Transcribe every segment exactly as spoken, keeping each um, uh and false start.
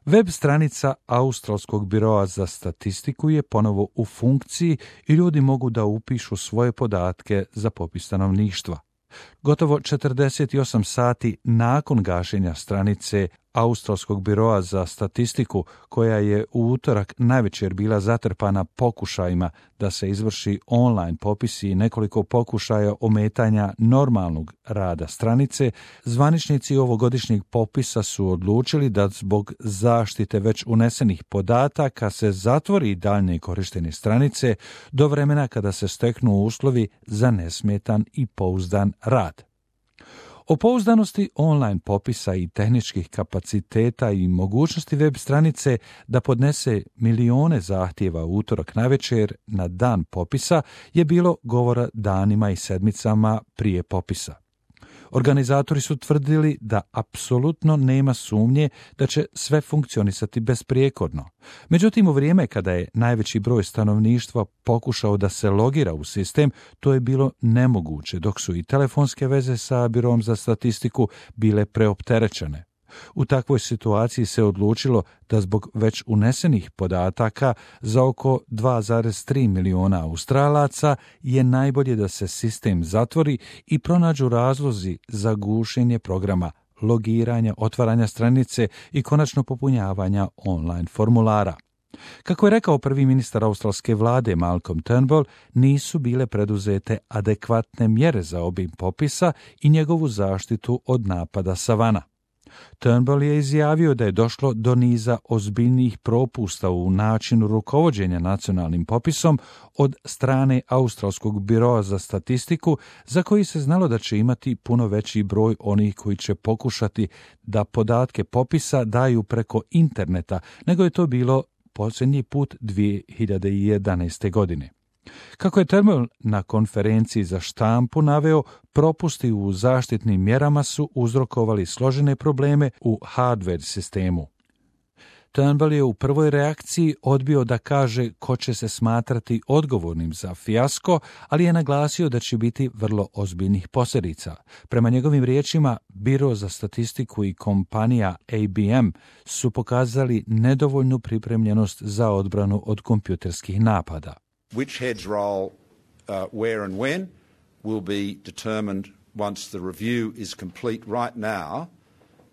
Web stranica Australskog biroa za statistiku je ponovo u funkciji i ljudi mogu da upišu svoje podatke za popis stanovništva. Gotovo četrdeset osam sati nakon gašenja stranice Australskog biroa za statistiku, koja je u utorak navečer bila zatrpana pokušajima da se izvrši online popis i nekoliko pokušaja ometanja normalnog rada stranice, zvaničnici ovogodišnjeg popisa su odlučili da zbog zaštite već unesenih podataka se zatvori daljnje korištenje stranice do vremena kada se steknu uslovi za nesmetan i pouzdan rad. O pouzdanosti online popisa i tehničkih kapaciteta i mogućnosti web stranice da podnese milione zahtjeva u utorak navečer na dan popisa je bilo govora danima i sedmicama prije popisa. Organizatori su tvrdili da apsolutno nema sumnje da će sve funkcionisati besprijekorno. Međutim, u vrijeme kada je najveći broj stanovništva pokušao da se logira u sistem, to je bilo nemoguće, dok su i telefonske veze sa Birom za statistiku bile preopterećene. U takvoj situaciji se odlučilo da zbog već unesenih podataka za oko dva zarez tri miliona Australaca je najbolje da se sistem zatvori i pronađu razlozi za gušenje programa, logiranja, otvaranja stranice i konačno popunjavanja online formulara. Kako je rekao prvi ministar australske vlade Malcolm Turnbull, nisu bile preduzete adekvatne mjere za obim popisa i njegovu zaštitu od napada savana. Turnbull je izjavio da je došlo do niza ozbiljnijih propusta u načinu rukovođenja nacionalnim popisom od strane Australskog biroa za statistiku, za koji se znalo da će imati puno veći broj onih koji će pokušati da podatke popisa daju preko interneta, nego je to bilo posljednji put dvije hiljade jedanaeste. godine. Kako je Turnbull na konferenciji za štampu naveo, propusti u zaštitnim mjerama su uzrokovali složene probleme u hardware sistemu. Turnbull je u prvoj reakciji odbio da kaže ko će se smatrati odgovornim za fijasko, ali je naglasio da će biti vrlo ozbiljnih posljedica. Prema njegovim riječima, Biro za statistiku i kompanija A B M su pokazali nedovoljnu pripremljenost za odbranu od kompjuterskih napada. Which heads roll uh, where and when will be determined once the review is complete. Right now,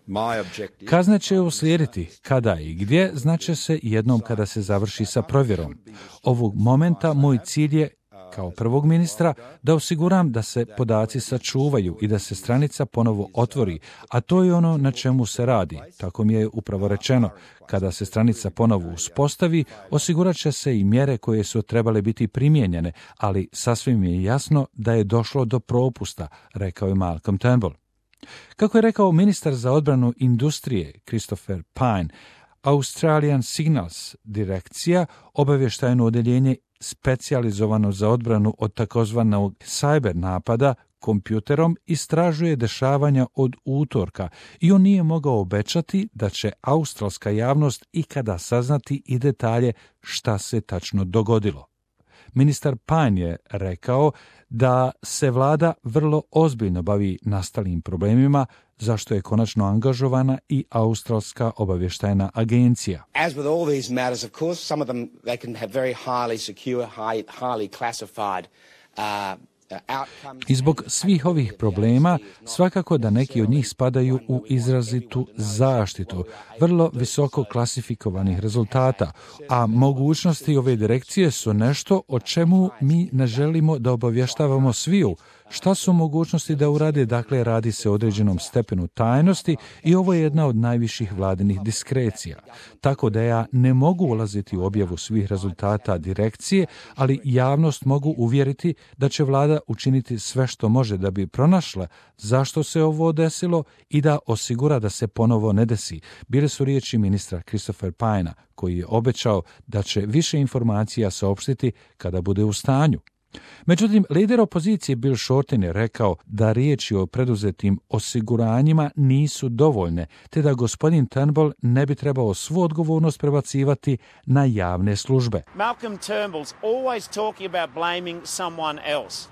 my objective... Kazne će uslijediti kada i gdje, znače se jednom kada se završi sa provjerom. Ovog momenta moj cilj je, kao prvog ministra, da osiguram da se podaci sačuvaju i da se stranica ponovo otvori, a to je ono na čemu se radi. Tako mi je upravo rečeno. Kada se stranica ponovo uspostavi, osigurat će se i mjere koje su trebale biti primijenjene, ali sasvim je jasno da je došlo do propusta, rekao je Malcolm Turnbull. Kako je rekao ministar za odbranu industrije Christopher Pyne, Australian Signals direkcija, obavještajno odjeljenje specijalizovano za odbranu od takozvanog cyber napada kompjuterom, istražuje dešavanja od utorka i on nije mogao obećati da će australska javnost ikada saznati i detalje šta se tačno dogodilo. Ministar Pyne je rekao da se vlada vrlo ozbiljno bavi nastalim problemima, zašto je konačno angažovana i Australska obavještajna agencija. As with all these matters, of course, some of them they can have very highly secure, high, highly classified uh, I zbog svih ovih problema, svakako da neki od njih spadaju u izrazitu zaštitu, vrlo visoko klasifikovanih rezultata, a mogućnosti ove direkcije su nešto o čemu mi ne želimo da obavještavamo sviju. Šta su mogućnosti da urade? Dakle, radi se o određenom stepenu tajnosti i ovo je jedna od najviših vladinih diskrecija. Tako da ja ne mogu ulaziti u objavu svih rezultata direkcije, ali javnost mogu uvjeriti da će vlada učiniti sve što može da bi pronašla zašto se ovo desilo i da osigura da se ponovo ne desi. Bile su riječi ministra Christopher Pyna, koji je obećao da će više informacija saopštiti kada bude u stanju. Međutim, lider opozicije Bill Shorten je rekao da riječi o preduzetim osiguranjima nisu dovoljne, te da gospodin Turnbull ne bi trebao svu odgovornost prebacivati na javne službe. Malcolm Turnbull's always talking about blaming someone else.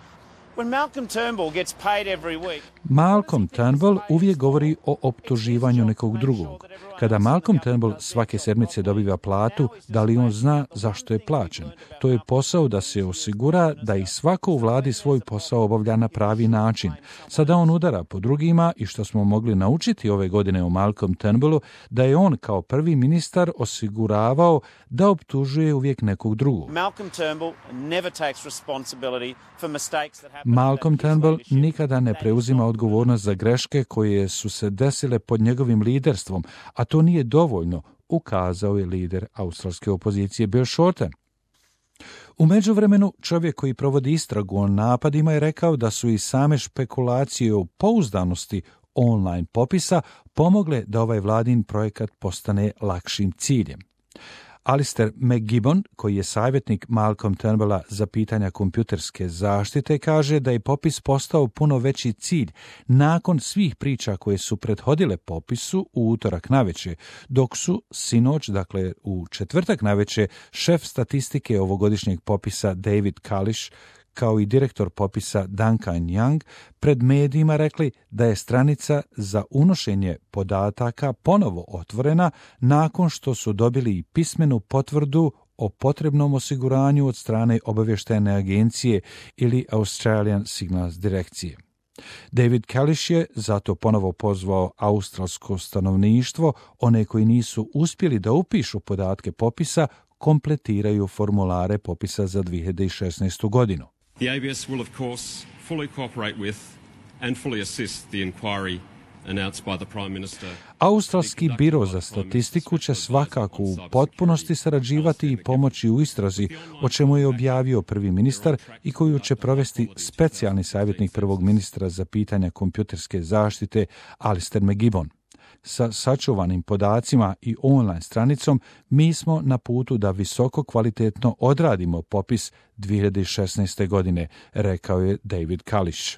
When Malcolm Turnbull gets paid every week, Malcolm Turnbull uvijek govori o optuživanju nekog drugog. Kada Malcolm Turnbull svake sedmice dobiva platu, da li on zna zašto je plaćen? To je posao da se osigura da i svako u vladi svoj posao obavlja na pravi način. Sada on udara po drugima i što smo mogli naučiti ove godine o Malcolm Turnbullu, da je on kao prvi ministar osiguravao da optužuje uvijek nekog drugog. Malcolm Turnbull never takes responsibility for mistakes that happen. Malcolm Turnbull nikada ne preuzima odgovornost za greške koje su se desile pod njegovim liderstvom, a to nije dovoljno, ukazao je lider australske opozicije Bill Shorten. U međuvremenu, čovjek koji provodi istragu o napadima je rekao da su i same špekulacije o pouzdanosti online popisa pomogle da ovaj vladin projekat postane lakšim ciljem. Alistair McGibbon, koji je savjetnik Malcolm Turnbulla za pitanja kompjuterske zaštite, kaže da je popis postao puno veći cilj nakon svih priča koje su prethodile popisu u utorak navečer, dok su sinoć, dakle u četvrtak navečer, šef statistike ovogodišnjeg popisa David Kalish kao i direktor popisa Duncan Young pred medijima rekli da je stranica za unošenje podataka ponovo otvorena nakon što su dobili i pismenu potvrdu o potrebnom osiguranju od strane obavještajne agencije ili Australian Signals direkcije. David Kalish je zato ponovo pozvao australsko stanovništvo, one koji nisu uspjeli da upišu podatke popisa, kompletiraju formulare popisa za dvije hiljade šesnaestu godinu. The A B S will, of course, fully cooperate with and fully assist the inquiry announced by the Prime Minister. Australski biro za statistiku će svakako u potpunosti sarađivati i pomoći u istrazi, o čemu je objavio prvi ministar i koju će provesti specijalni savjetnik prvog ministra za pitanja kompjuterske zaštite Alistair McGibbon. Sa sačuvanim podacima i online stranicom mi smo na putu da visoko kvalitetno odradimo popis dvije hiljade šesnaeste. godine, rekao je David Kalish.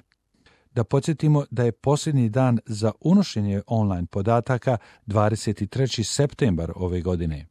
Da podsjetimo da je posljednji dan za unošenje online podataka dvadeset treći septembar ove godine.